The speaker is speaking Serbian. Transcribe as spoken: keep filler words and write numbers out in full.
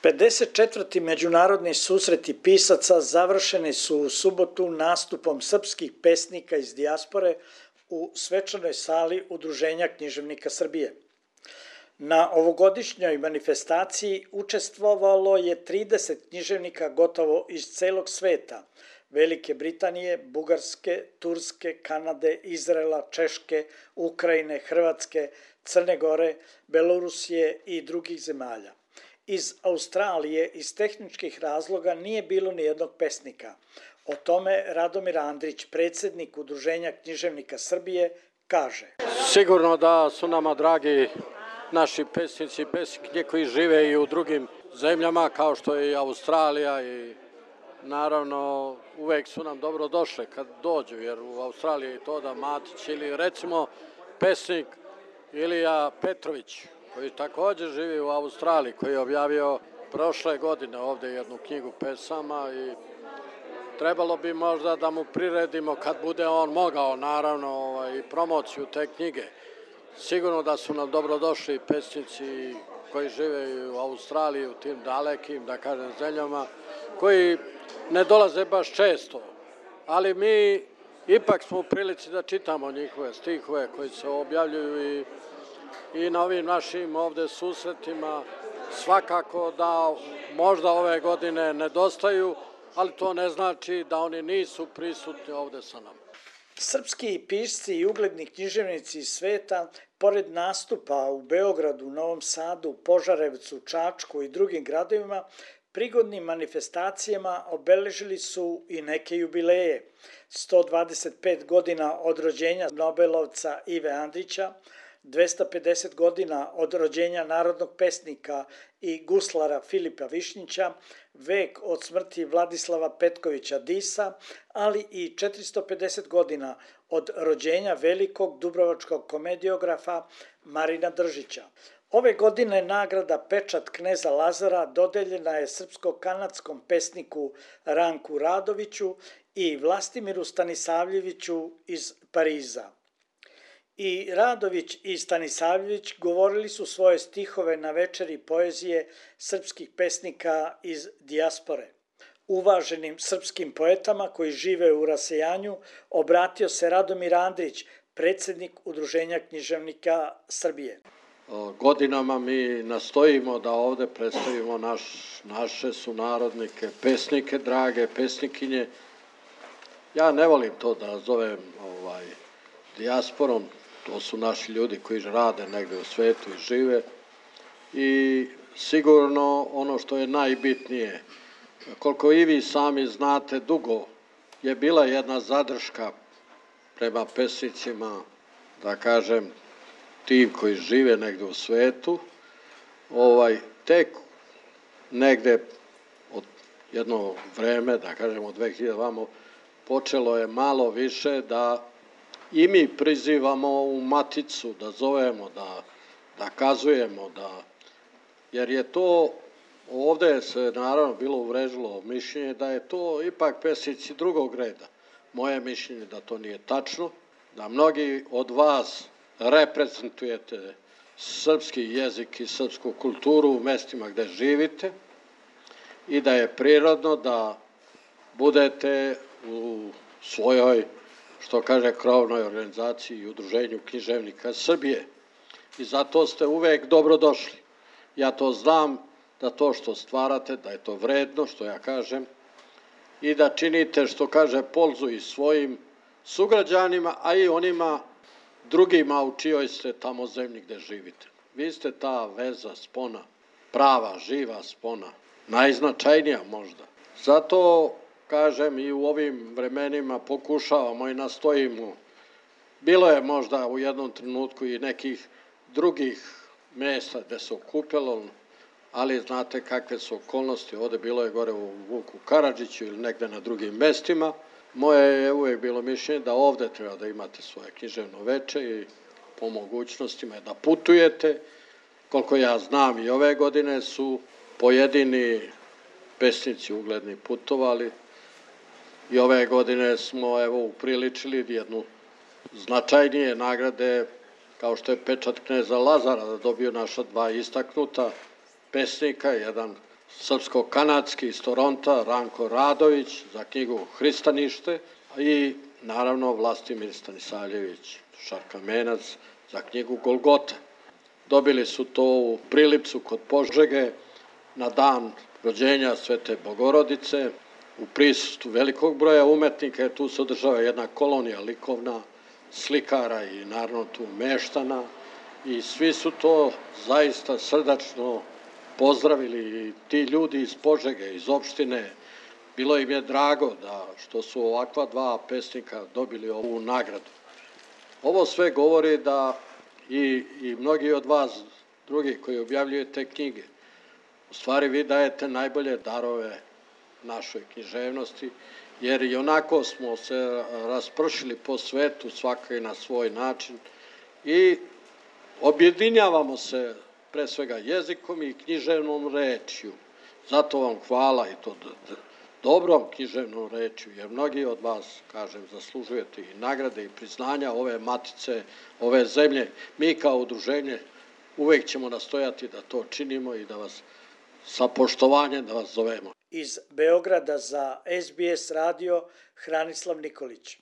pedeset četvrti međunarodni susreti pisaca završeni su u subotu nastupom srpskih pesnika iz dijaspore u svečanoj sali Udruženja književnika Srbije. Na ovogodišnjoj manifestaciji učestvovalo je trideset književnika gotovo iz celog sveta, Velike Britanije, Bugarske, Turske, Kanade, Izraela, Češke, Ukrajine, Hrvatske, Crne Gore, Belorusije i drugih zemalja. Iz Australije iz tehničkih razloga nije bilo ni jednog pesnika. O tome Radomir Andrić, predsjednik Udruženja književnika Srbije, kaže. Sigurno da su nama dragi naši pesnici i pesnikinje koji žive i u drugim zemljama kao što je i Australija i naravno uvek su nam dobro došle kad dođu, jer u Australiji je to da Matić ili recimo pesnik Ilija Petrović koji također živi u Australiji, koji je objavio prošle godine ovde jednu knjigu pesama i trebalo bi možda da mu priredimo kad bude on mogao naravno i promociju te knjige. Sigurno da su nam dobrodošli pesnici koji žive u Australiji, u tim dalekim, da kažem, zemljama, koji ne dolaze baš često, ali mi ipak smo u prilici da čitamo njihove stihove koji se objavljuju i, i na ovim našim ovde susretima. Svakako da možda ove godine nedostaju, ali to ne znači da oni nisu prisutni ovde sa nama. Srpski pisci i ugledni književnici iz sveta, pored nastupa u Beogradu, Novom Sadu, Požarevcu, Čačku i drugim gradovima, prigodnim manifestacijama obeležili su i neke jubileje. sto dvadeset pet godina od rođenja Nobelovca Ive Andrića, dvesta pedeset godina od rođenja narodnog pesnika i guslara Filipa Višnjića, vek od smrti Vladislava Petkovića Disa, ali i četiristo pedeset godina od rođenja velikog dubrovačkog komediografa Marina Držića. Ove godine nagrada Pečat kneza Lazara dodeljena je srpsko-kanadskom pesniku Ranku Radoviću i Vlastimiru Stanisavljeviću iz Pariza. I Radović i Stanisavljević govorili su svoje stihove na večeri poezije srpskih pesnika iz dijaspore. Uvaženim srpskim poetama koji žive u rasejanju obratio se Radomir Andrić, predsjednik Udruženja književnika Srbije. Godinama mi nastojimo da ovde predstavimo naš, naše sunarodnike, pesnike, drage pesnikinje. Ja ne volim to da zovem ovaj, dijasporom, to su naši ljudi koji rade negde u svetu i žive. I sigurno ono što je najbitnije, koliko i vi sami znate, dugo je bila jedna zadrška prema pesnicima, da kažem, tim koji žive negde u svetu, ovaj, tek negde od jedno vreme, da kažem od dve hiljade vamo, počelo je malo više da i mi prizivamo u maticu, da zovemo, da, da kazujemo, da, jer je to, ovde se naravno bilo uvrežilo mišljenje da je to ipak pesnici drugog reda. Moje mišljenje da to nije tačno, da mnogi od vas reprezentujete srpski jezik i srpsku kulturu u mestima gde živite i da je prirodno da budete u svojoj, što kaže, krovnoj organizaciji i Udruženju književnika Srbije. I zato ste uvek dobrodošli. Ja to znam da to što stvarate, da je to vredno, što ja kažem, i da činite, što kaže, polzu i svojim sugrađanima, a i onima drugima u čijoj ste tamo zemlji gde živite. Vi ste ta veza, spona, prava, živa spona, najznačajnija možda. Zato, kažem, i u ovim vremenima pokušavamo i nastojimo. Bilo je možda u jednom trenutku i nekih drugih mesta gde se okupilo, ali znate kakve su okolnosti. Ovde bilo je gore u Vuku Karadžiću ili negde na drugim mestima. Moje je uvijek bilo mišljenje da ovde treba da imate svoje književno veče i po mogućnostima da putujete. Koliko ja znam i ove godine su pojedini pesnici ugledni putovali i ove godine smo evo upriličili jednu značajnije nagrade kao što je Pečat kneza Lazara da dobio naša dva istaknuta pesnika, jedan srpsko-kanadski iz Toronta, Ranko Radović za knjigu Hristanište i naravno Vlastimir Stanisavljević Šarkamenac za knjigu Golgota. Dobili su to u Prilipcu kod Požege na dan rođenja Svete Bogorodice u prisustvu velikog broja umetnika, jer tu se održava jedna kolonija likovna, slikara i naravno tu meštana i svi su to zaista srdačno pozdravili i ti ljudi iz Požege, iz opštine. Bilo im je drago da što su ovakva dva pesnika dobili ovu nagradu. Ovo sve govori da i, i mnogi od vas drugi koji objavljujete knjige, u stvari vi dajete najbolje darove našoj književnosti, jer i onako smo se raspršili po svetu, svaka i na svoj način, i objedinjavamo se pre svega jezikom i književnom rečju. Zato vam hvala i to dobrom književnom rečju, jer mnogi od vas, kažem, zaslužujete i nagrade i priznanja ove matice, ove zemlje. Mi kao udruženje uvek ćemo nastojati da to činimo i da vas sa poštovanjem da vas zovemo. Iz Beograda za S B S radio Hranislav Nikolić.